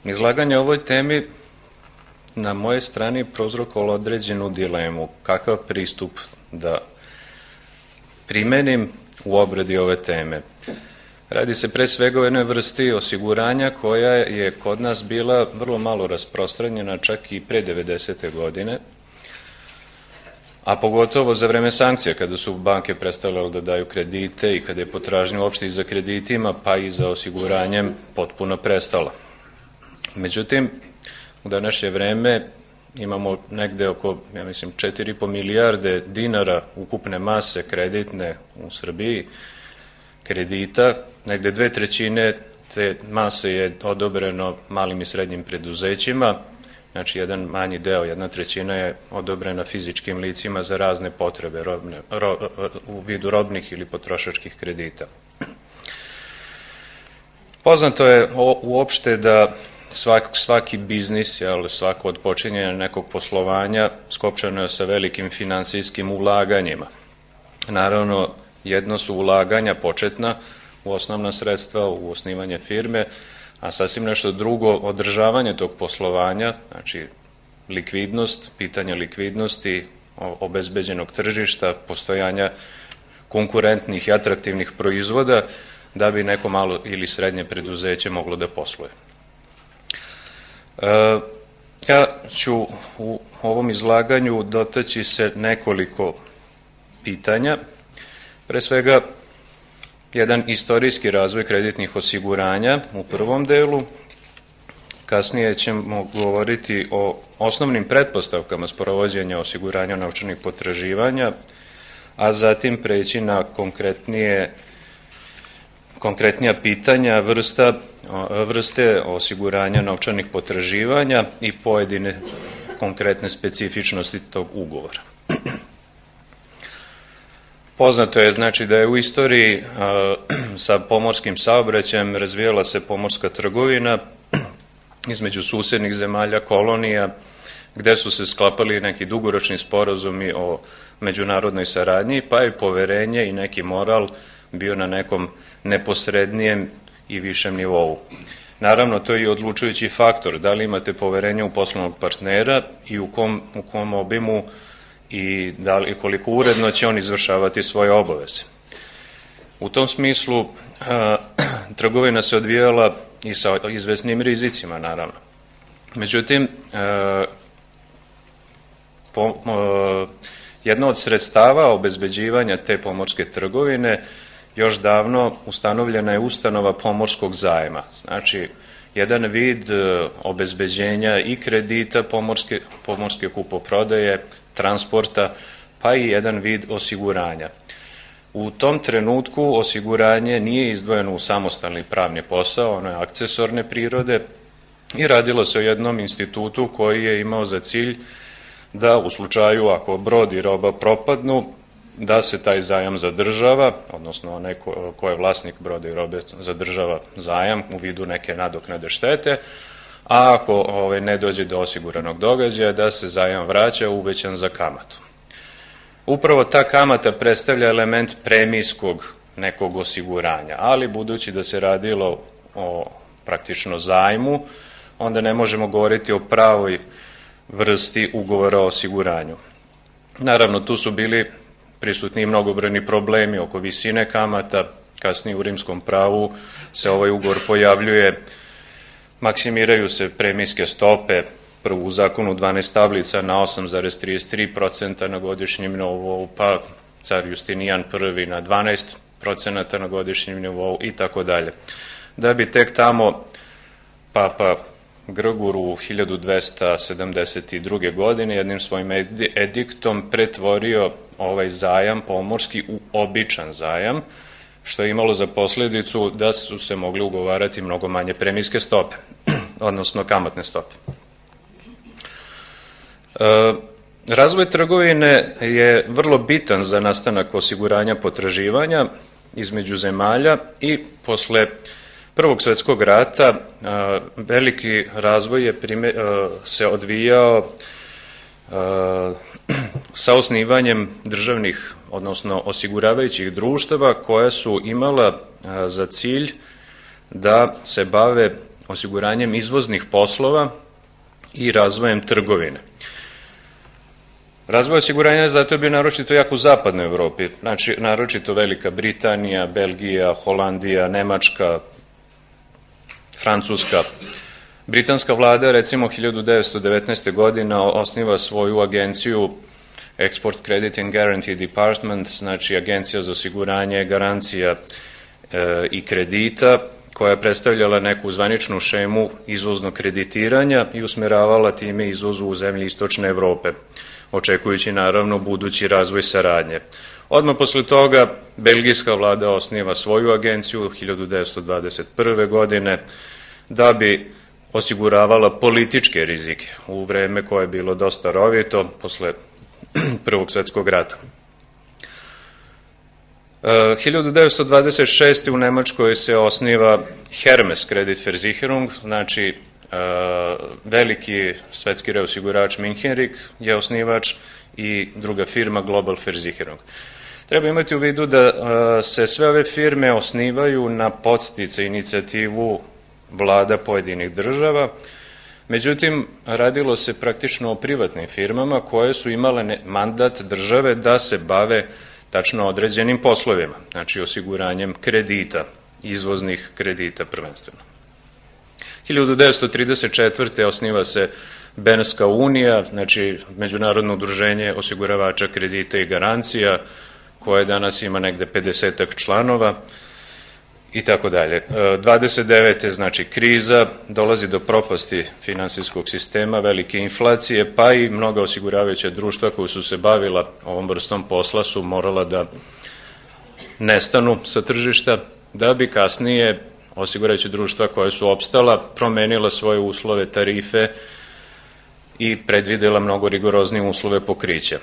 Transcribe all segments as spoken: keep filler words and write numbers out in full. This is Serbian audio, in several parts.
Izlaganje o ovoj temi na mojoj strani prouzrokovalo određenu dilemu, kakav pristup da primenim u obradi ove teme. Radi se pre svega o jednoj vrsti osiguranja koja je kod nas bila vrlo malo rasprostranjena čak i pre devedesete godine, a pogotovo za vreme sankcija kada su banke prestale da daju kredite i kada je potražnja uopšte i za kreditima pa i za osiguranjem potpuno prestala. Međutim, u današnje vreme imamo negde oko, ja mislim, četiri i po milijarde dinara ukupne mase kreditne u Srbiji, kredita, negde dve trećine te mase je odobreno malim i srednjim preduzećima, znači jedan manji deo, jedna trećina je odobrena fizičkim licima za razne potrebe robne, ro, u vidu robnih ili potrošačkih kredita. Poznato je uopšte da Svak, svaki biznis, jel, svako od počinjenja nekog poslovanja skopčano je sa velikim finansijskim ulaganjima. Naravno, jedno su ulaganja početna u osnovna sredstva, u osnivanje firme, a sasvim nešto drugo održavanje tog poslovanja, znači likvidnost, pitanje likvidnosti, obezbeđenog tržišta, postojanja konkurentnih i atraktivnih proizvoda da bi neko malo ili srednje preduzeće moglo da posluje. Ja ću u ovom izlaganju dotaći se nekoliko pitanja. Pre svega, jedan istorijski razvoj kreditnih osiguranja u prvom delu. Kasnije ćemo govoriti o osnovnim pretpostavkama sprovođenja osiguranja novčanih potraživanja, a zatim preći na konkretnije konkretnija pitanja, vrsta, vrste osiguranja novčanih potraživanja i pojedine konkretne specifičnosti tog ugovora. Poznato je znači da je u istoriji a, sa pomorskim saobraćajem razvijala se pomorska trgovina između susednih zemalja, kolonija, gde su se sklapali neki dugoročni sporazumi o međunarodnoj saradnji, pa je poverenje i neki moral bio na nekom neposrednijem i višem nivou. Naravno, to je i odlučujući faktor, da li imate poverenje u poslovnog partnera i u kom, u kom obimu i da li, koliko uredno će on izvršavati svoje obaveze. U tom smislu, a, trgovina se odvijala i sa izvesnim rizicima, naravno. Međutim, a, po, a, jedno od sredstava obezbeđivanja te pomorske trgovine još davno ustanovljena je ustanova pomorskog zajma. Znači, jedan vid obezbeđenja i kredita pomorske, pomorske kupoprodaje, transporta, pa i jedan vid osiguranja. U tom trenutku osiguranje nije izdvojeno u samostalni pravni posao, ono je akcesorne prirode i radilo se o jednom institutu koji je imao za cilj da u slučaju ako brod i roba propadnu, da se taj zajam zadržava, odnosno onaj ko, ko je vlasnik broda i robe zadržava zajam u vidu neke nadoknade štete, a ako ovaj, ne dođe do osiguranog događaja, da se zajam vraća uvećan za kamatu. Upravo ta kamata predstavlja element premijskog nekog osiguranja, ali budući da se radilo o praktično zajmu, onda ne možemo govoriti o pravoj vrsti ugovora o osiguranju. Naravno, tu su bili prisutni mnogobrojni problemi oko visine kamata, kasnije u rimskom pravu se ovaj ugovor pojavljuje, maksimiraju se premijske stope, prvo u zakonu dvanaest tablica na osam zarez trideset tri procenta na godišnjem nivou, pa car Justinijan prvi na dvanaest procenta na godišnjem nivou i tako dalje. Da bi tek tamo Papa Grgur u hiljadu dvesta sedamdeset druge. godine jednim svojim ediktom pretvorio ovaj zajam pomorski u običan zajam, što je imalo za posledicu da su se mogli ugovarati mnogo manje premijske stope, odnosno kamatne stope. E, razvoj trgovine je vrlo bitan za nastanak osiguranja potraživanja između zemalja i posle Prvog svetskog rata a, veliki razvoj je prime, a, se odvijao a, sa osnivanjem državnih, odnosno osiguravajućih društava koja su imala a, za cilj da se bave osiguranjem izvoznih poslova i razvojem trgovine. Razvoj osiguranja je zato bio naročito jak u zapadnoj Evropi, znači naročito Velika Britanija, Belgija, Holandija, Nemačka, Francuska. Britanska vlada recimo hiljadu devetsto devetnaeste. godine osniva svoju agenciju Export Credit and Guarantee Department, znači agencija za osiguranje, garancija e, i kredita, koja je predstavljala neku zvaničnu šemu izvoznog kreditiranja i usmeravala time izvozu u zemlji Istočne Evrope, očekujući naravno budući razvoj saradnje. Odmah posle toga belgijska vlada osniva svoju agenciju hiljadu devetsto dvadeset prve. godine da bi osiguravala političke rizike u vreme koje je bilo dosta rovito posle Prvog svetskog rata. hiljadu devetsto dvadeset šeste. u Nemačkoj se osniva Hermes Kreditversicherung, znači veliki svetski reosigurač Münchenrich je osnivač i druga firma Global Versicherung. Treba imati u vidu da se sve ove firme osnivaju na podsticaj inicijativu vlada pojedinih država, međutim radilo se praktično o privatnim firmama koje su imale mandat države da se bave tačno određenim poslovima, znači osiguranjem kredita, izvoznih kredita prvenstveno. hiljadu devetsto trideset četvrte. osniva se Bernska unija, znači Međunarodno udruženje osiguravača kredita i garancija, koje danas ima negde pedesetak članova i tako dalje. dvadeset devete. znači kriza, dolazi do propasti finansijskog sistema, velike inflacije, pa i mnoga osiguravajuća društva koja su se bavila ovom vrstom posla su morala da nestanu sa tržišta, da bi kasnije osiguravajuća društva koja su opstala promenila svoje uslove, tarife i predvidela mnogo rigoroznije uslove pokrića.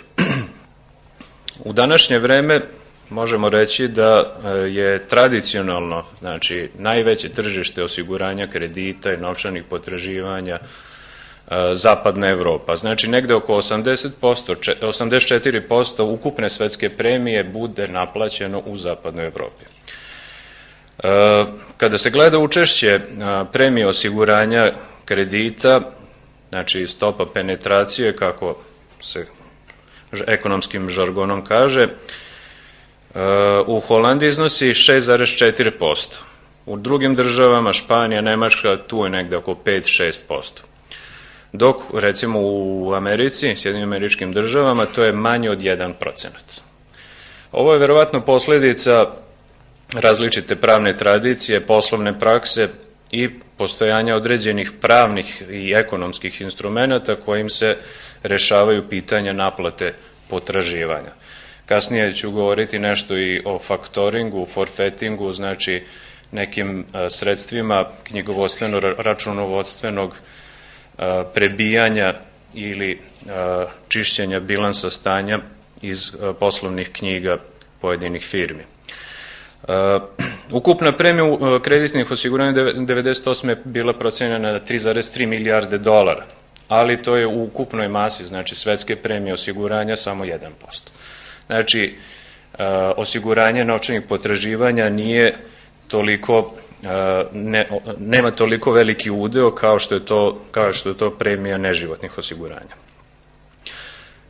U današnje vreme možemo reći da je tradicionalno, znači najveće tržište osiguranja kredita i novčanih potraživanja zapadna Evropa. Znači negde oko osamdeset posto, osamdeset četiri posto ukupne svetske premije bude naplaćeno u zapadnoj Evropi. Kada se gleda učešće premije osiguranja kredita, znači stopa penetracije, kako se ekonomskim žargonom kaže, u Holandiji iznosi šest zarez četiri posto. U drugim državama, Španija, Nemačka, tu je negde oko pet do šest posto. Dok, recimo, u Americi, Sjedinim Američkim Državama, to je manje od jedan procenat. Ovo je verovatno posledica različite pravne tradicije, poslovne prakse i postojanja određenih pravnih i ekonomskih instrumenta kojim se rešavaju pitanja naplate potraživanja. Kasnije ću govoriti nešto i o faktoringu, forfetingu, znači nekim sredstvima knjigovodstveno-računovodstvenog prebijanja ili čišćenja bilansa stanja iz poslovnih knjiga pojedinih firmi. Ukupna premija kreditnih osiguranja devedeset osme bila procenjena na tri zarez tri milijarde dolara, ali to je u ukupnoj masi, znači svetske premije osiguranja, samo jedan posto. Znači, osiguranje novčanih potraživanja nije toliko, ne, nema toliko veliki udeo kao što je to, kao što je to premija neživotnih osiguranja.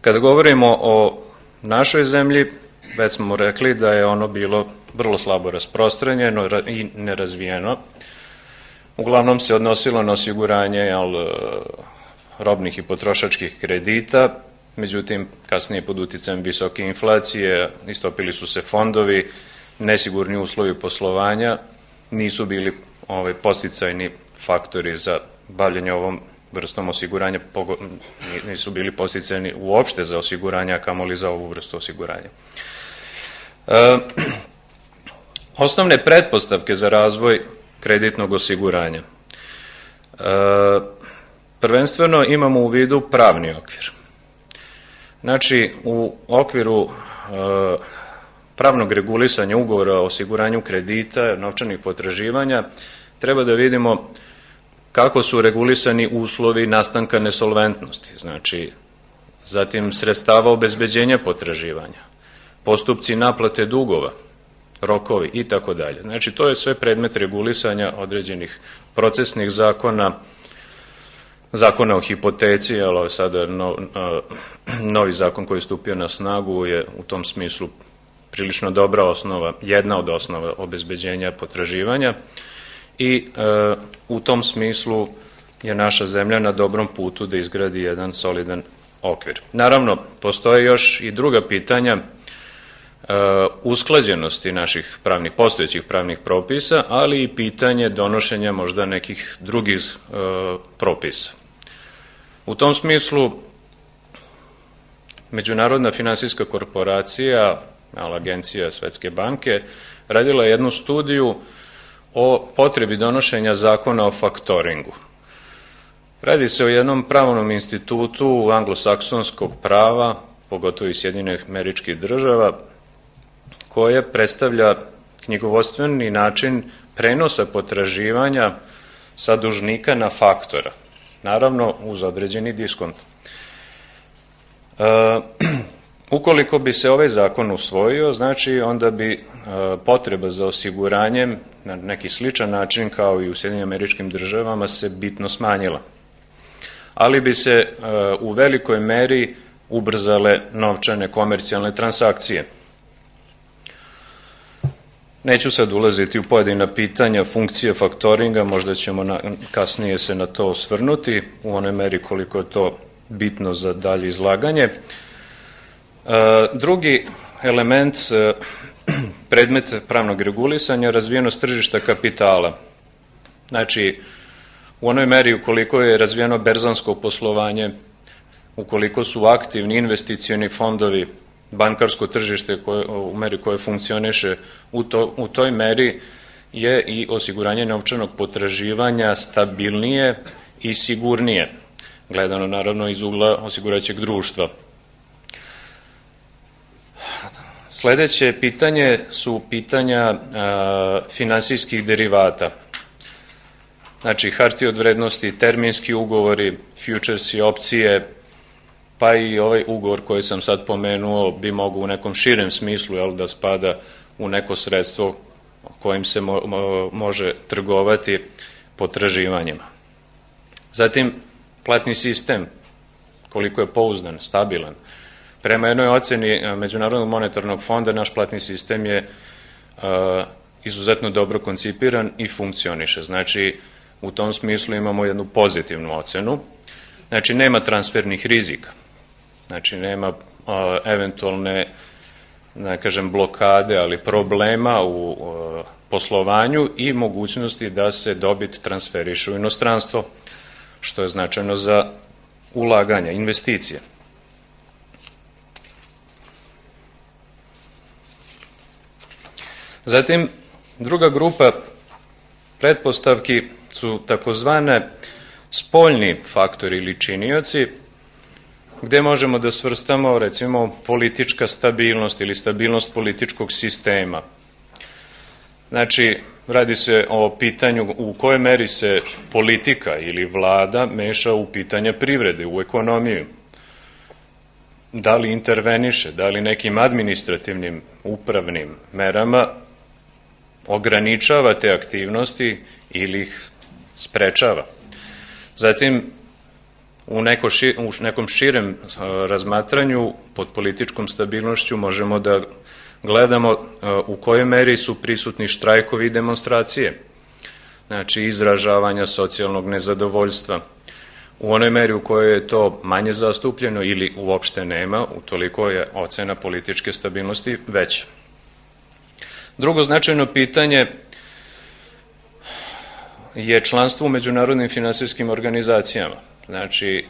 Kada govorimo o našoj zemlji, već smo rekli da je ono bilo vrlo slabo rasprostranjeno i nerazvijeno. Uglavnom se odnosilo na osiguranje jel, robnih i potrošačkih kredita, međutim, kasnije pod uticajem visoke inflacije istopili su se fondovi, nesigurni uslovi poslovanja, nisu bili ovaj, podsticajni faktori za bavljanje ovom vrstom osiguranja, nisu bili podsticajni uopšte za osiguranje, a kamoli za ovu vrstu osiguranja. E, osnovne pretpostavke za razvoj kreditnog osiguranja. E, prvenstveno imamo u vidu pravni okvir. Znači, u okviru e, pravnog regulisanja ugovora o osiguranju kredita, novčanih potraživanja, treba da vidimo kako su regulisani uslovi nastanka nesolventnosti, znači, zatim sredstava obezbeđenja potraživanja, postupci naplate dugova, rokovi i tako dalje. Znači, to je sve predmet regulisanja određenih procesnih zakona, zakona o hipoteci, ali sada no, novi zakon koji je stupio na snagu je u tom smislu prilično dobra osnova, jedna od osnova obezbeđenja potraživanja i e, u tom smislu je naša zemlja na dobrom putu da izgradi jedan solidan okvir. Naravno, postoje još i druga pitanja usklađenosti naših pravnih, postojećih pravnih propisa, ali i pitanje donošenja možda nekih drugih e, propisa. U tom smislu Međunarodna finansijska korporacija, agencija Svetske banke, radila je jednu studiju o potrebi donošenja zakona o faktoringu. Radi se o jednom pravnom institutu anglosaksonskog prava, pogotovo iz Sjedinjenih Američkih Država, koje predstavlja knjigovodstveni način prenosa potraživanja sa dužnika na faktora, naravno uz određeni diskont. E, ukoliko bi se ovaj zakon usvojio, znači onda bi e, potreba za osiguranjem na neki sličan način kao i u Sjedinjenim Američkim Državama se bitno smanjila, ali bi se e, u velikoj meri ubrzale novčane komercijalne transakcije. Neću sad ulaziti u pojedina pitanja funkcije faktoringa, možda ćemo na, kasnije se na to osvrnuti u onoj meri koliko je to bitno za dalje izlaganje. E, drugi element, e, predmet pravnog regulisanja, razvijenost tržišta kapitala. Znači, u onoj meri ukoliko je razvijeno berzansko poslovanje, ukoliko su aktivni investicioni fondovi, bankarsko tržište koje, u meri koje funkcioniše u, to, u toj meri je i osiguranje novčanog potraživanja stabilnije i sigurnije, gledano naravno iz ugla osigurajućeg društva. Sledeće pitanje su pitanja a, finansijskih derivata. Znači, hartije od vrednosti, terminski ugovori, futuresi, opcije, pa i ovaj ugovor koji sam sad pomenuo bi mogao u nekom širem smislu jel, da spada u neko sredstvo kojim se mo, mo, može trgovati potraživanjima. Zatim, platni sistem, koliko je pouzdan, stabilan. Prema jednoj oceni Međunarodnog monetarnog fonda, naš platni sistem je a, izuzetno dobro koncipiran i funkcioniše. Znači, u tom smislu imamo jednu pozitivnu ocenu. Znači, nema transfernih rizika. Znači, nema a, eventualne, ne kažem, blokade, ali problema u a, poslovanju i mogućnosti da se dobit transferiše u inostranstvo, što je značajno za ulaganja, investicije. Zatim, druga grupa pretpostavki su takozvane spoljni faktori ili činioci, gde možemo da svrstamo, recimo, politička stabilnost ili stabilnost političkog sistema. Znači, radi se o pitanju u kojoj meri se politika ili vlada meša u pitanja privrede, u ekonomiju. Da li interveniše, da li nekim administrativnim, upravnim merama ograničava te aktivnosti ili ih sprečava. Zatim, u, neko ši, u nekom širem razmatranju pod političkom stabilnošću možemo da gledamo u kojoj meri su prisutni štrajkovi i demonstracije, znači izražavanja socijalnog nezadovoljstva. U onoj meri u kojoj je to manje zastupljeno ili uopšte nema, utoliko je ocena političke stabilnosti veća. Drugo značajno pitanje je članstvo u međunarodnim finansijskim organizacijama. Znači,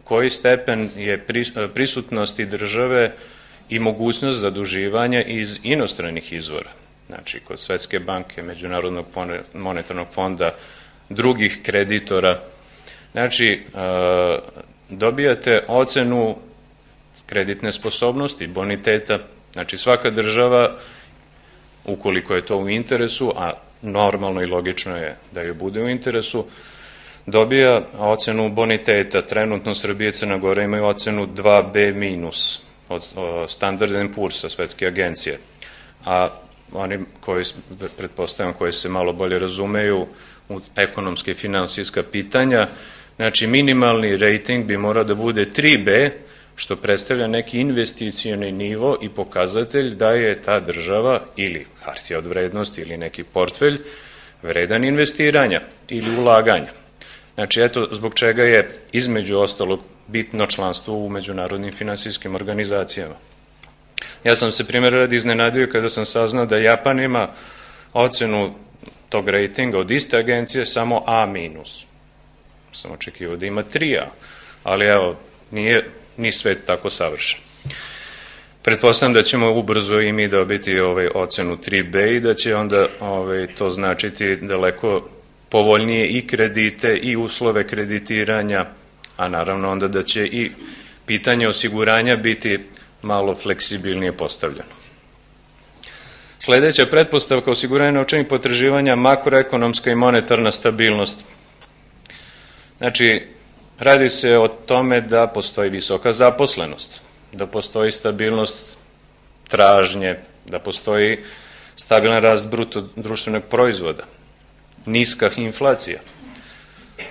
koji stepen je prisutnosti države i mogućnost zaduživanja iz inostranih izvora. Znači, kod Svetske banke, Međunarodnog monetarnog fonda, drugih kreditora. Znači, dobijate ocenu kreditne sposobnosti, boniteta. Znači, svaka država, ukoliko je to u interesu, a normalno i logično je da joj bude u interesu, dobija ocenu boniteta. Trenutno Srbija i Crna Gora imaju ocenu dva be minus od Standard and Poor's, Svetske agencije. a oni koji, pretpostavljam, koji se malo bolje razumeju u ekonomske i finansijska pitanja, znači minimalni rating bi morao da bude tri be, što predstavlja neki investicioni nivo i pokazatelj da je ta država ili hartija od vrednosti ili neki portfelj vredan investiranja ili ulaganja. Znači, eto, zbog čega je između ostalog bitno članstvo u međunarodnim finansijskim organizacijama. Ja sam se primjer radi iznenadio kada sam saznao da Japan ima ocenu tog ratinga od iste agencije samo A minus. Sam očekivao da ima tri A, ali evo, nije ni svet tako savršen. Pretpostavljam da ćemo ubrzo i mi dobiti ovaj, ocenu tri be i da će onda ovaj, to značiti daleko povoljnije i kredite i uslove kreditiranja, a naravno onda da će i pitanje osiguranja biti malo fleksibilnije postavljeno. Sledeća pretpostavka osiguranja novčanih potraživanja, makroekonomska i monetarna stabilnost. Znači, radi se o tome da postoji visoka zaposlenost, da postoji stabilnost tražnje, da postoji stabilan rast bruto društvenog proizvoda, niska inflacija.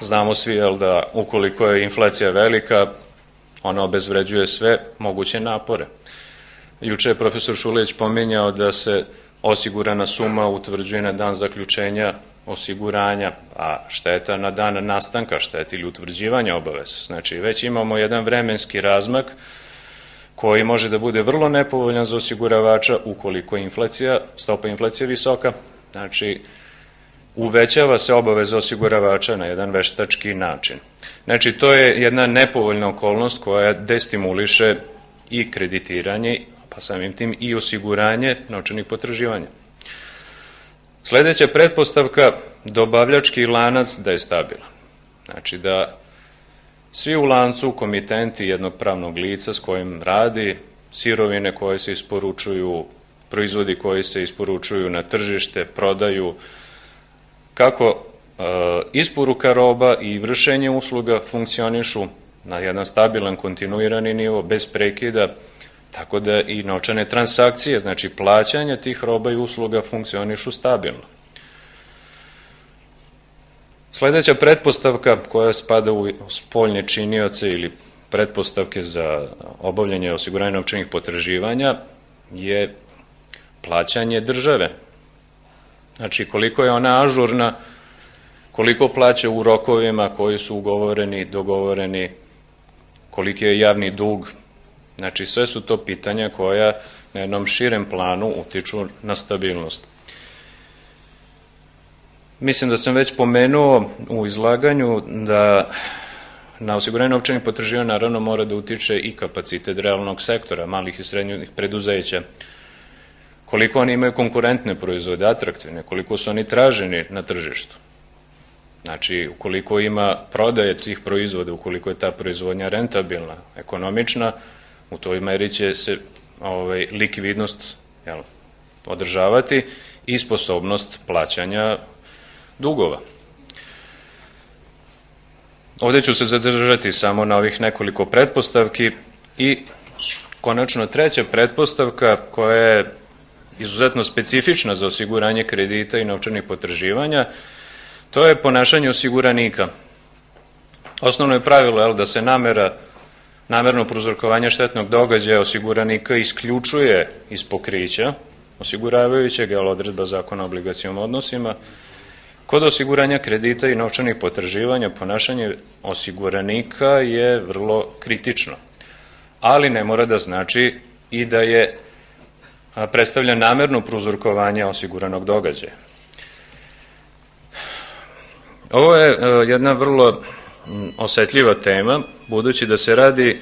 Znamo svi, jel, da ukoliko je inflacija velika, ona obezvređuje sve moguće napore. Juče je profesor Šulić pominjao da se osigurana suma utvrđuje na dan zaključenja osiguranja, a šteta na dan nastanka štete ili utvrđivanja obaveza. Znači, već imamo jedan vremenski razmak koji može da bude vrlo nepovoljan za osiguravača ukoliko je inflacija, stopa inflacije visoka. Znači, uvećava se obaveza osiguravača na jedan veštački način. Znači, to je jedna nepovoljna okolnost koja destimuliše i kreditiranje, pa samim tim i osiguranje novčanih potraživanja. Sledeća pretpostavka, dobavljački lanac da je stabilan. Znači da svi u lancu komitenti jednog pravnog lica s kojim radi, sirovine koje se isporučuju, proizvodi koji se isporučuju na tržište, prodaju, kako e, isporuka roba i vršenje usluga funkcionišu na jedan stabilan, kontinuirani nivo, bez prekida, tako da i novčane transakcije, znači plaćanja tih roba i usluga funkcionišu stabilno. Sledeća pretpostavka koja spada u spoljne činioce ili pretpostavke za obavljanje osiguranja novčanih potraživanja je plaćanje države. Znači koliko je ona ažurna, koliko plaća u rokovima koji su ugovoreni, dogovoreni, koliki je javni dug. Znači sve su to pitanja koja na jednom širem planu utiču na stabilnost. Mislim da sam već pomenuo u izlaganju da na osiguranje novčanih potraživanja naravno mora da utiče i kapacitet realnog sektora, malih i srednjih preduzeća. Koliko oni imaju konkurentne proizvode, atraktivne, koliko su oni traženi na tržištu. Znači, ukoliko ima prodaje tih proizvoda, ukoliko je ta proizvodnja rentabilna, ekonomična, u toj meri će se ovaj, likvidnost jel, održavati i sposobnost plaćanja dugova. Ovde ću se zadržati samo na ovih nekoliko pretpostavki i konačno treća pretpostavka koja je izuzetno specifična za osiguranje kredita i novčanih potraživanja, to je ponašanje osiguranika. Osnovno je pravilo jel, da se namera namerno prouzrokovanje štetnog događaja osiguranika isključuje iz pokrića osiguravajućeg, jel, odredba Zakona o obligacionim odnosima. Kod osiguranja kredita i novčanih potraživanja ponašanje osiguranika je vrlo kritično, ali ne mora da znači i da je predstavlja namerno prouzrokovanje osiguranog događaja. Ovo je jedna vrlo osetljiva tema, budući da se radi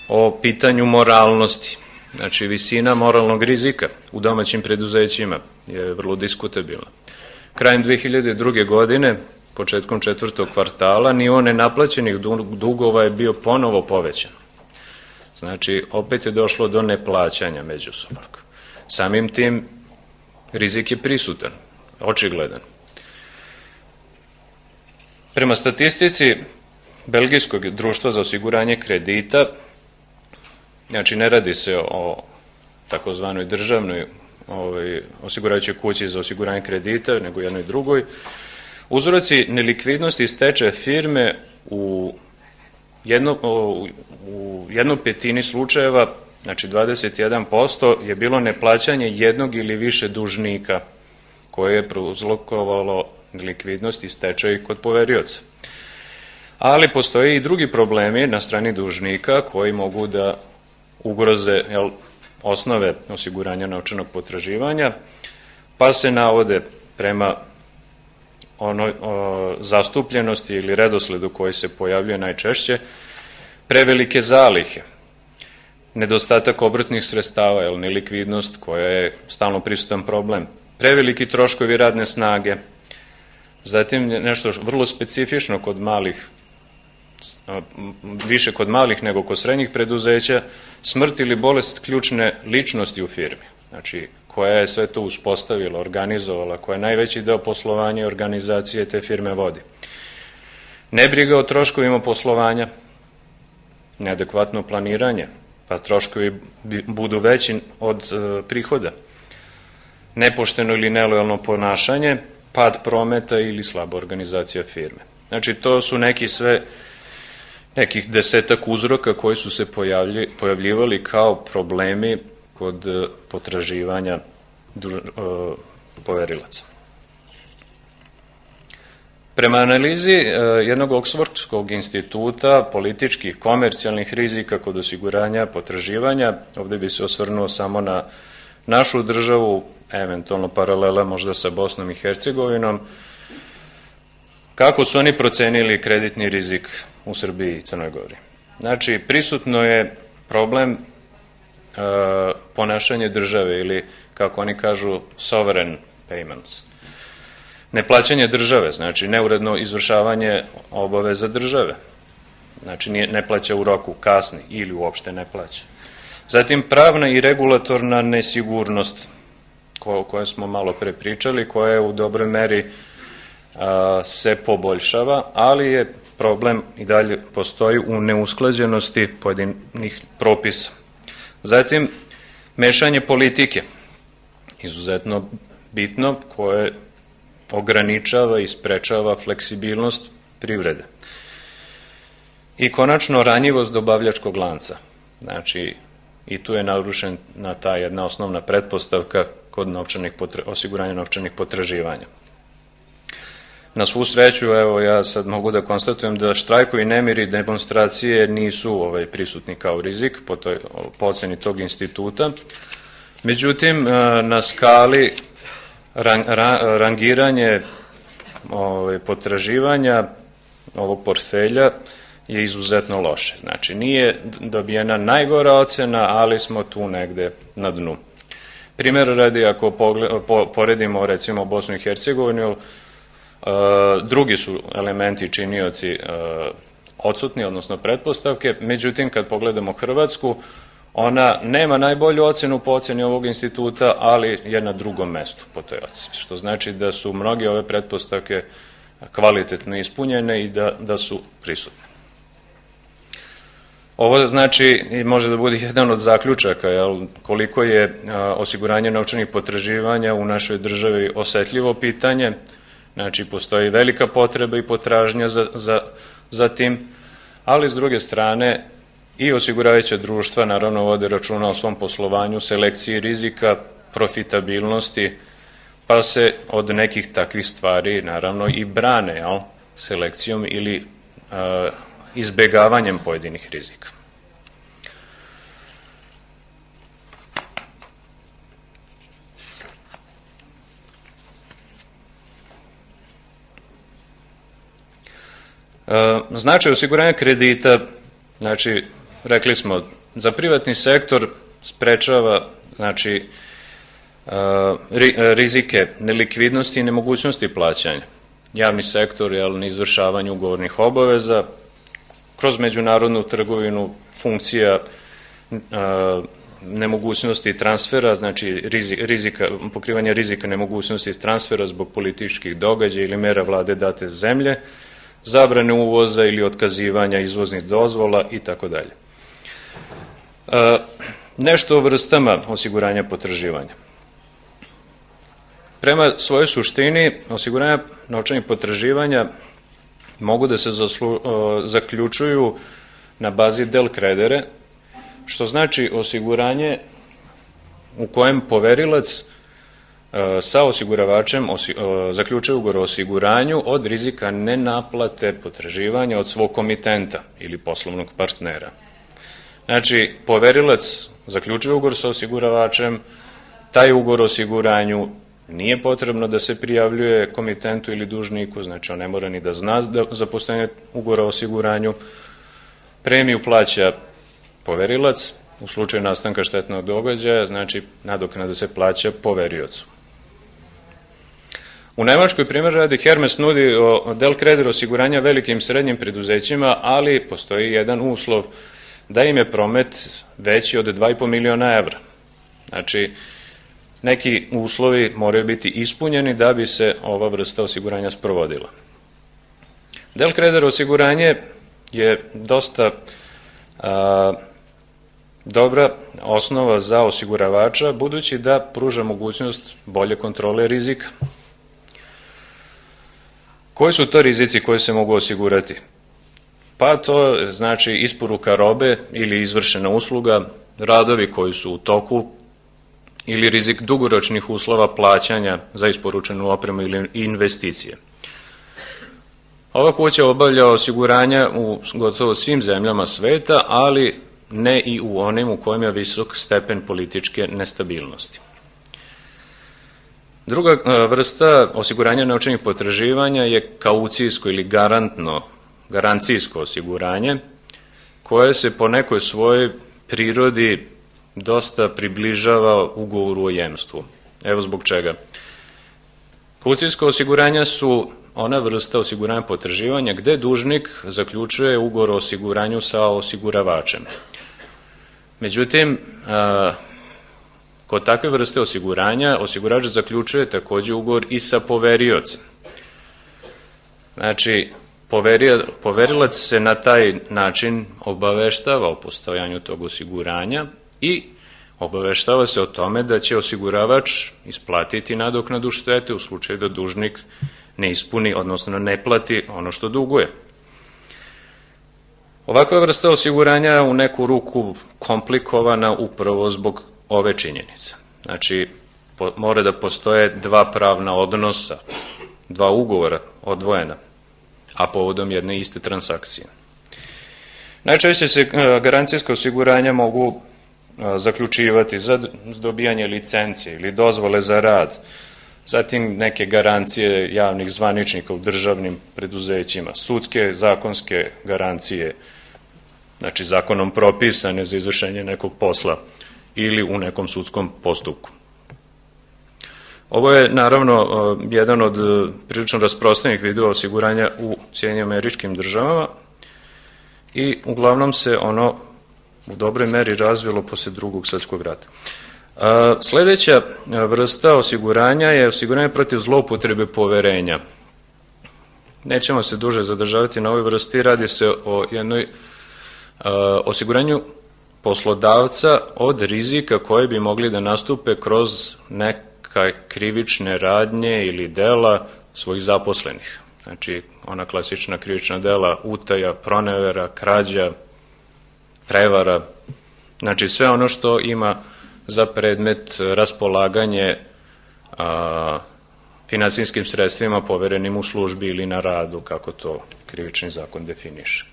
o pitanju moralnosti. Znači, visina moralnog rizika u domaćim preduzećima je vrlo diskutabilna. Krajem dve hiljade druge. godine, početkom četvrtog kvartala, nivo nenaplaćenih dugova je bio ponovo povećan. Znači, opet je došlo do neplaćanja međusobnog. Samim tim, rizik je prisutan, očigledan. Prema statistici Belgijskog društva za osiguranje kredita, znači ne radi se o takozvanoj državnoj ovaj, osiguravajućoj kući za osiguranje kredita, nego jednoj drugoj. Uzroci nelikvidnosti i stečaja firme u, jedno, u jednu petini slučajeva, znači dvadeset jedan posto, je bilo neplaćanje jednog ili više dužnika koje je prouzrokovalo nelikvidnost i stečaj kod poverioca. Ali postoje i drugi problemi na strani dužnika koji mogu da ugroze jel, osnove osiguranja novčanog potraživanja, pa se navode prema onoj o, zastupljenosti ili redosledu koji se pojavljuje najčešće, prevelike zalihe, nedostatak obrtnih sredstava, jel, nelikvidnost koja je stalno prisutan problem, preveliki troškovi radne snage, zatim nešto vrlo specifično kod malih, više kod malih nego kod srednjih preduzeća, smrt ili bolest ključne ličnosti u firmi, znači koja je sve to uspostavila, organizovala, koja je najveći deo poslovanja i organizacije te firme vodi. Nebriga o troškovima poslovanja, neadekvatno planiranje, pa troškovi budu veći od e, prihoda, nepošteno ili nelojalno ponašanje, pad prometa ili slaba organizacija firme. Znači, to su neki sve, nekih desetak uzroka koji su se pojavlji, pojavljivali kao problemi kod potraživanja duž, e, poverilaca. Prema analizi e, jednog Oxfordskog instituta političkih, komercijalnih rizika kod osiguranja potraživanja, ovde bi se osvrnuo samo na našu državu, eventualno paralela možda sa Bosnom i Hercegovinom, kako su oni procenili kreditni rizik u Srbiji i Crnoj Gori. Znači, prisutno je problem e, ponašanje države ili, kako oni kažu, sovereign payments. Neplaćanje države, znači neuredno izvršavanje obaveza države. Znači, ne plaća u roku, kasni ili uopšte ne plaća. Zatim, pravna i regulatorna nesigurnost, o kojoj smo malo pre pričali, koja je u dobroj meri a, se poboljšava, ali je problem i dalje postoji u neusklađenosti pojedinih propisa. Zatim, mešanje politike, izuzetno bitno, koje ograničava i sprečava fleksibilnost privrede. I konačno, ranjivost dobavljačkog lanca. Znači, i tu je narušena ta jedna osnovna pretpostavka kod novčanih potra... osiguranja novčanih potraživanja. Na svu sreću, evo, ja sad mogu da konstatujem da štrajkovi, nemiri, demonstracije nisu ovaj, prisutni kao rizik po, toj, po oceni tog instituta. Međutim, na skali rang, ra, rangiranje ovaj, potraživanja ovog portfelja je izuzetno loše. Znači, nije dobijena najgora ocena, ali smo tu negde na dnu. Primjer radi, ako pogled, po, poredimo recimo Bosnu i Hercegovinu, Uh, drugi su elementi činioci uh, odsutni, odnosno pretpostavke, međutim kad pogledamo Hrvatsku, ona nema najbolju ocenu po oceni ovog instituta, ali je na drugom mestu po toj oceni, što znači da su mnoge ove pretpostavke kvalitetno ispunjene i da, da su prisutne. Ovo znači i može da bude jedan od zaključaka, jel, koliko je uh, osiguranje novčanih potraživanja u našoj državi osetljivo pitanje. Znači, postoji velika potreba i potražnja za, za, za tim, ali s druge strane i osiguravajuća društva naravno vode računa o svom poslovanju, selekciji rizika, profitabilnosti, pa se od nekih takvih stvari naravno i brane, jel, selekcijom ili a, izbegavanjem pojedinih rizika. Značaj osiguranja kredita, znači, rekli smo, za privatni sektor sprečava, znači, rizike nelikvidnosti i nemogućnosti plaćanja. Javni sektor je na izvršavanju ugovornih obaveza, kroz međunarodnu trgovinu funkcija nemogućnosti transfera, znači rizika, pokrivanje rizika nemogućnosti transfera zbog političkih događaja ili mera vlade date zemlje, zabrane uvoza ili otkazivanja izvoznih dozvola i tako dalje. Nešto o vrstama osiguranja potraživanja. Prema svojoj suštini, osiguranja novčanih potraživanja mogu da se zaslu, zaključuju na bazi del credere, što znači osiguranje u kojem poverilac sa osiguravačem osi, zaključuje ugovor o osiguranju od rizika nenaplate potraživanja od svog komitenta ili poslovnog partnera. Znači, poverilac zaključuje ugovor sa osiguravačem, taj ugovor o osiguranju nije potrebno da se prijavljuje komitentu ili dužniku, znači on ne mora ni da zna za postojanje ugovora o osiguranju. Premiju plaća poverilac, u slučaju nastanka štetnog događaja, znači nadoknada se plaća poveriocu. U Nemačkoj, primjer radi, Hermes nudi del creder osiguranja velikim i srednjim preduzećima, ali postoji jedan uslov da im je promet veći od dva i po miliona evra. Znači, neki uslovi moraju biti ispunjeni da bi se ova vrsta osiguranja sprovodila. Del creder osiguranje je dosta a, dobra osnova za osiguravača, budući da pruža mogućnost bolje kontrole rizika. Koji su to rizici koji se mogu osigurati? Pa to znači isporuka robe ili izvršena usluga, radovi koji su u toku ili rizik dugoročnih uslova plaćanja za isporučenu opremu ili investicije. Ova kuća obavlja osiguranja u gotovo svim zemljama sveta, ali ne i u onim u kojima je visok stepen političke nestabilnosti. Druga vrsta osiguranja novčanih potraživanja je kaucijsko ili garantno, garancijsko osiguranje, koje se po nekoj svojoj prirodi dosta približava ugovoru o jemstvu. Evo zbog čega. Kaucijsko osiguranja su ona vrsta osiguranja potraživanja gde dužnik zaključuje ugovor o osiguranju sa osiguravačem. Međutim, kod takve vrste osiguranja osigurač zaključuje takođe ugovor i sa poveriocem. Znači, poverilac se na taj način obaveštava o postojanju tog osiguranja i obaveštava se o tome da će osiguravač isplatiti nadoknadu štete u slučaju da dužnik ne ispuni, odnosno ne plati ono što duguje. Ovakva vrsta osiguranja u neku ruku komplikovana upravo zbog ove činjenice. Znači, po, mora da postoje dva pravna odnosa, dva ugovora odvojena, a povodom jedne iste transakcije. Najčešće se garancijska osiguranja mogu zaključivati za dobijanje licencije ili dozvole za rad, zatim neke garancije javnih zvaničnika u državnim preduzećima, sudske, zakonske garancije, znači zakonom propisane za izvršenje nekog posla ili u nekom sudskom postupku. Ovo je naravno jedan od prilično rasprostranjenih vidova osiguranja u Sjedinjenim Američkim Državama i uglavnom se ono u dobroj meri razvilo posle Drugog svjetskog rata. Sledeća vrsta osiguranja je osiguranje protiv zloupotrebe poverenja. Nećemo se duže zadržavati na ovoj vrsti, radi se o jednoj osiguranju poslodavca od rizika koje bi mogli da nastupe kroz neka krivične radnje ili dela svojih zaposlenih. Znači, ona klasična krivična dela utaja, pronevera, krađa, prevara, znači sve ono što ima za predmet raspolaganje a, finansijskim sredstvima poverenim u službi ili na radu, kako to krivični zakon definiše.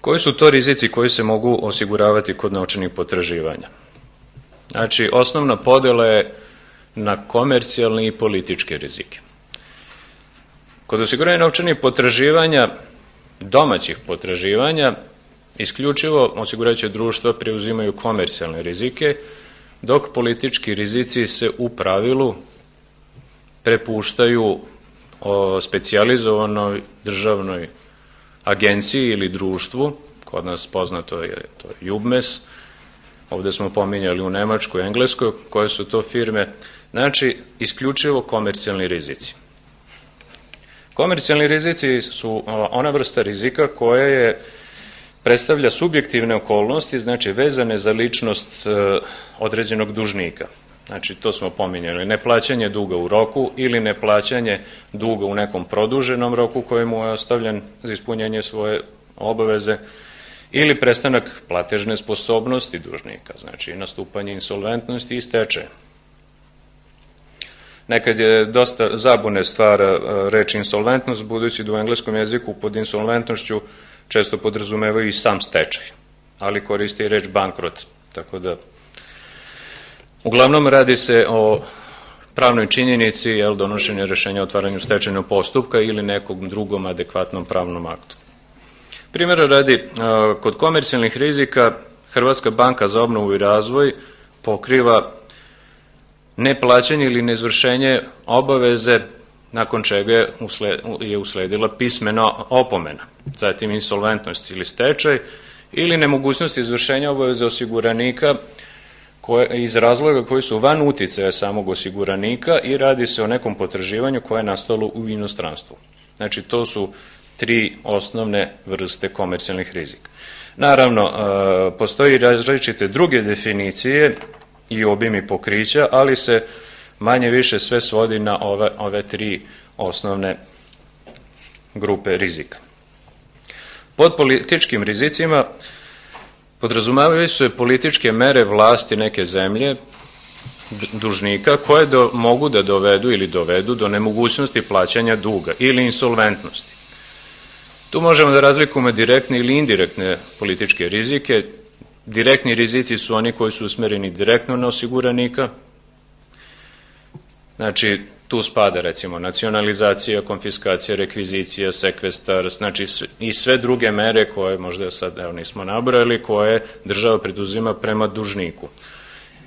Koji su to rizici koji se mogu osiguravati kod novčanih potraživanja? Znači, osnovna podela je na komercijalne i političke rizike. Kod osiguranja novčanih potraživanja, domaćih potraživanja, isključivo osigurajuća društva preuzimaju komercijalne rizike, dok politički rizici se u pravilu prepuštaju o specijalizovanoj državnoj agenciji ili društvu, kod nas poznato je to Jubmes, ovde smo pominjali u Nemačkoj i Engleskoj, koje su to firme, znači isključivo komercijalni rizici. Komercijalni rizici su ona vrsta rizika koja je predstavlja subjektivne okolnosti, znači vezane za ličnost određenog dužnika. Znači, to smo pominjali, neplaćanje duga u roku ili neplaćanje duga u nekom produženom roku kojemu je ostavljen za ispunjenje svoje obaveze, ili prestanak platežne sposobnosti dužnika, znači nastupanje insolventnosti i stečaja. Nekad je dosta zabune stvara reč insolventnost, budući da u engleskom jeziku pod insolventnošću često podrazumevaju i sam stečaj, ali koristi i reč bankrot, tako da uglavnom radi se o pravnoj činjenici, jel, donošenja rešenja o otvaranju stečajnog postupka ili nekom drugom adekvatnom pravnom aktu. Primjera radi, kod komercijalnih rizika Hrvatska banka za obnovu i razvoj pokriva neplaćanje ili neizvršenje obaveze, nakon čega je usledila pismena opomena, zatim insolventnost ili stečaj, ili nemogućnost izvršenja obaveze osiguranika koje, iz razloga koji su van uticaja samog osiguranika i radi se o nekom potraživanju koje je nastalo u inostranstvu. Znači, to su tri osnovne vrste komercijalnih rizika. Naravno, postoji različite druge definicije i obimi pokrića, ali se manje više sve svodi na ove, ove tri osnovne grupe rizika. Pod političkim rizicima podrazumevaju se političke mere vlasti neke zemlje, dužnika, koje do, mogu da dovedu ili dovedu do nemogućnosti plaćanja duga ili insolventnosti. Tu možemo da razlikujemo direktne ili indirektne političke rizike. Direktni rizici su oni koji su usmereni direktno na osiguranika. Znači, tu spada recimo nacionalizacija, konfiskacija, rekvizicija, sekvestar, znači i sve druge mere koje možda sad evo, nismo nabrali, koje država preduzima prema dužniku.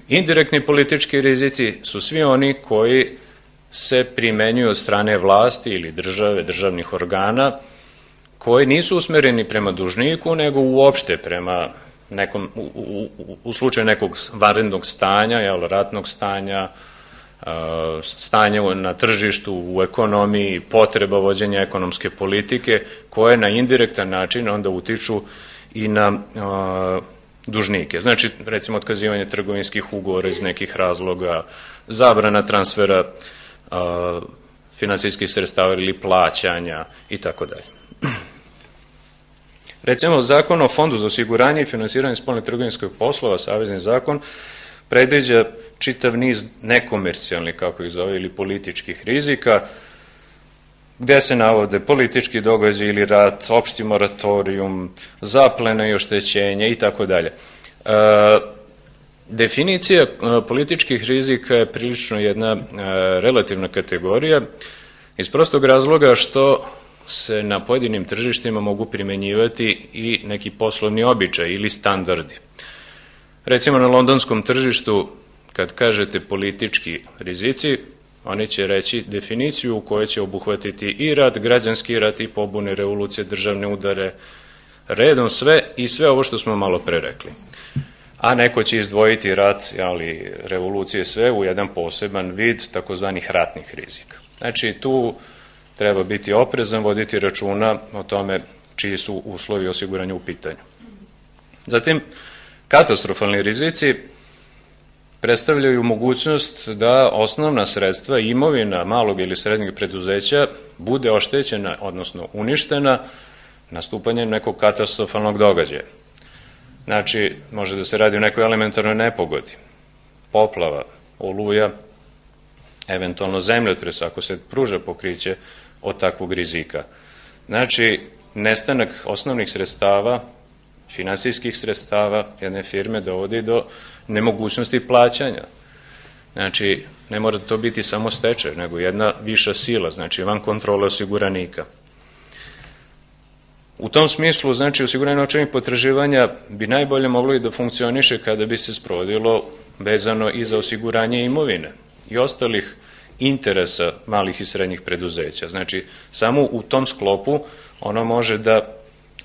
Indirektni politički rizici su svi oni koji se primenjuju od strane vlasti ili države, državnih organa, koji nisu usmereni prema dužniku, nego uopšte prema nekom, u, u, u slučaju nekog vanrednog stanja, jel, ratnog stanja, stanje na tržištu, u ekonomiji, potreba vođenja ekonomske politike, koje na indirektan način onda utiču i na a, dužnike. Znači, recimo, otkazivanje trgovinskih ugovora iz nekih razloga, zabrana transfera a, finansijskih sredstava ili plaćanja i tako dalje. Recimo, Zakon o Fondu za osiguranje i finansiranje spoljnih trgovinskih poslova, savezni zakon, predviđa čitav niz nekomercijalnih, kako ih zove, ili političkih rizika, gde se navode politički događaj ili rat, opšti moratorijum, zaplena i oštećenje i tako dalje. Definicija političkih rizika je prilično jedna relativna kategorija iz prostog razloga što se na pojedinim tržištima mogu primenjivati i neki poslovni običaj ili standardi. Recimo, na londonskom tržištu, kad kažete politički rizici, oni će reći definiciju u kojoj će obuhvatiti i rat, građanski rat, i pobune, revolucije, državne udare, redom sve i sve ovo što smo malo pre rekli. A neko će izdvojiti rat, ali revolucije sve u jedan poseban vid takozvanih ratnih rizika. Znači, tu treba biti oprezan, voditi računa o tome čiji su uslovi osiguranja u pitanju. Zatim, katastrofalni rizici predstavljaju mogućnost da osnovna sredstva i imovina malog ili srednjeg preduzeća bude oštećena, odnosno uništena, nastupanjem nekog katastrofalnog događaja. Znači, može da se radi o nekoj elementarnoj nepogodi, poplava, oluja, eventualno zemljotres, ako se pruža pokriće od takvog rizika. Znači, nestanak osnovnih sredstava, finansijskih sredstava jedne firme dovodi do nemogućnosti plaćanja. Znači, ne mora to biti samo stečaj, nego jedna viša sila, znači van kontrole osiguranika. U tom smislu, znači, osiguranje novčanih potraživanja bi najbolje moglo i da funkcioniše kada bi se sprovodilo vezano i za osiguranje imovine i ostalih interesa malih i srednjih preduzeća. Znači, samo u tom sklopu ono može da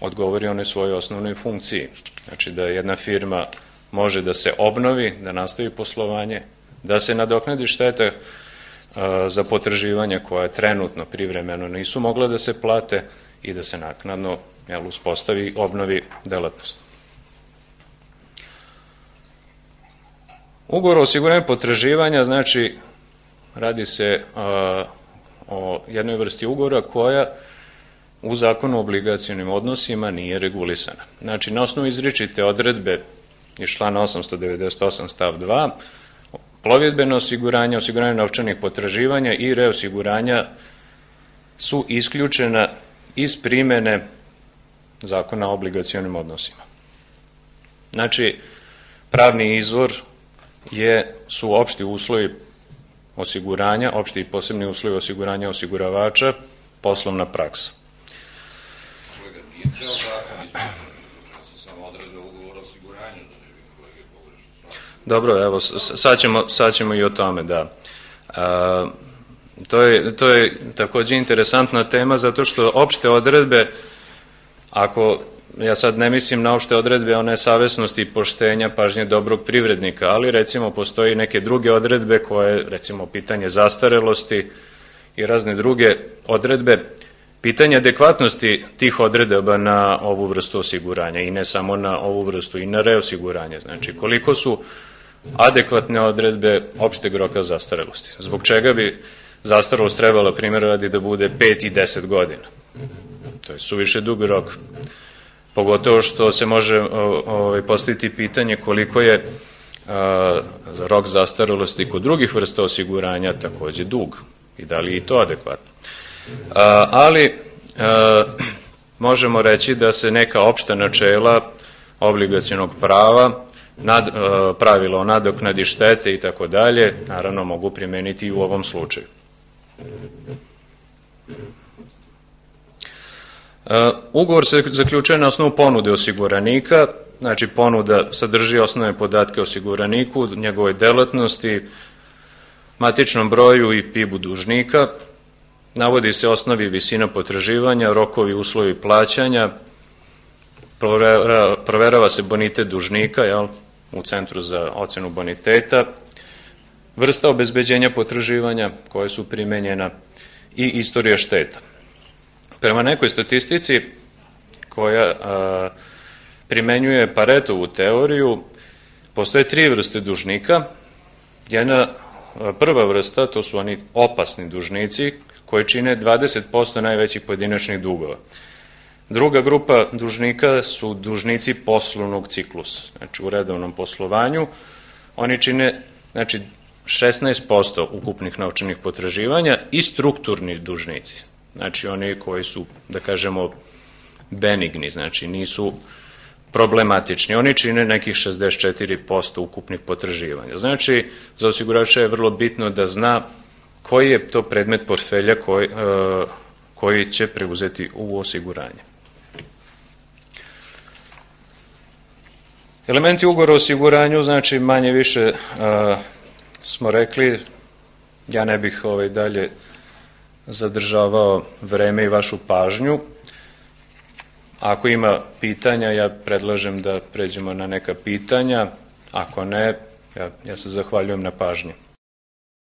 odgovori onoj svojoj osnovnoj funkciji. Znači, da jedna firma može da se obnovi, da nastavi poslovanje, da se nadoknadi štete za potraživanja koja trenutno privremeno nisu mogla da se plate i da se naknadno jel, uspostavi, obnovi delatnost. Ugovor o osiguranju potraživanja, znači, radi se a, o jednoj vrsti ugovora koja u Zakonu o obligacionim odnosima nije regulisana. Znači, na osnovu izričite odredbe iz člana osamsto devedeset osam stav dva, plovidbeno osiguranje, osiguranje novčanih potraživanja i reosiguranja su isključena iz primene Zakona o obligacionim odnosima. Znači, pravni izvor je, su opšti uslovi osiguranja, opšti i posebni uslovi osiguranja osiguravača, poslovna praksa. Kolega, nije ceo zakon između, samo odredbe ugovora o osiguranju, da ne bi kolege pogrešno. Dobro, evo, sad ćemo, sad ćemo i o tome, da. A, to je, to je takođe interesantna tema, zato što opšte odredbe, ako, ja sad ne mislim na opšte odredbe one savesnosti, poštenja, pažnje dobrog privrednika, ali recimo postoji neke druge odredbe koje, recimo pitanje zastarelosti i razne druge odredbe, pitanje adekvatnosti tih odredaba na ovu vrstu osiguranja i ne samo na ovu vrstu, i na reosiguranje. Znači, koliko su adekvatne odredbe opšteg roka zastarelosti. Zbog čega bi zastarelost trebala, primjer radi, da bude pet i deset godina. To je suviše dug rok. Pogotovo što se može ovaj, postaviti pitanje koliko je a, rok zastarelosti kod drugih vrsta osiguranja takođe dug i da li je i to adekvatno. A, ali a, možemo reći da se neka opšta načela obligacionog prava, nad, a, pravila o nadoknadi štete i tako dalje, naravno mogu primeniti i u ovom slučaju. Uh, ugovor se zaključuje na osnovu ponude osiguranika, znači ponuda sadrži osnovne podatke o osiguraniku, njegovoj delatnosti, matičnom broju i P I B-u dužnika, navodi se osnovi visina potraživanja, rokovi, uslovi plaćanja, proverava, proverava se bonitet dužnika, jel, u Centru za ocenu boniteta, vrsta obezbeđenja potraživanja koje su primenjena i istorija šteta. Prema nekoj statistici koja a, primenjuje Paretovu teoriju, postoje tri vrste dužnika. Jedna a, prva vrsta, to su oni opasni dužnici koji čine dvadeset posto najvećih pojedinačnih dugova. Druga grupa dužnika su dužnici poslovnog ciklusa, znači u redovnom poslovanju. Oni čine, znači, šesnaest posto ukupnih novčanih potraživanja i strukturni dužnici. Znači oni koji su, da kažemo, benigni, znači nisu problematični. Oni čine nekih šezdeset četiri posto ukupnih potraživanja. Znači, za osigurača je vrlo bitno da zna koji je to predmet portfelja koji, uh, koji će preuzeti u osiguranje. Elementi ugovora o osiguranju, znači manje više uh, smo rekli, ja ne bih ovaj dalje zadržavao vreme i vašu pažnju. Ako ima pitanja, ja predlažem da pređemo na neka pitanja. Ako ne, ja, ja se zahvaljujem na pažnji.